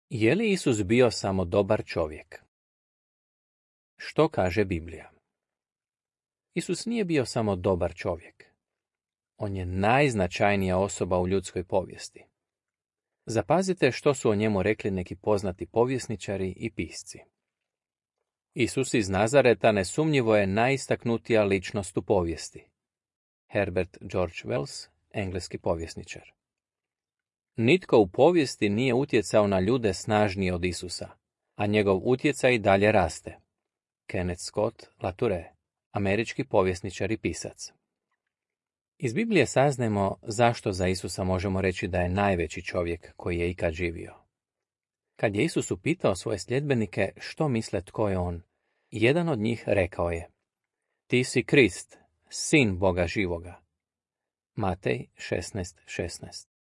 Je li Isus bio samo dobar čovjek? Što kaže Biblija? Isus nije bio samo dobar čovjek. On je najznačajnija osoba u ljudskoj povijesti. Zapazite što su o njemu rekli neki poznati povjesničari i pisci. Isus iz Nazareta nesumnjivo je najistaknutija ličnost u povijesti. Herbert George Wells, engleski povjesničar. Nitko u povijesti nije utjecao na ljude snažnije od Isusa, a njegov utjecaj dalje raste. Kenneth Scott Latouré, američki povjesničar i pisac. Iz Biblije saznajemo zašto za Isusa možemo reći da je najveći čovjek koji je ikad živio. Kad je Isus upitao svoje sljedbenike što misle tko je on, jedan od njih rekao je: Ti si Krist, sin Boga živoga. Matej 16:16.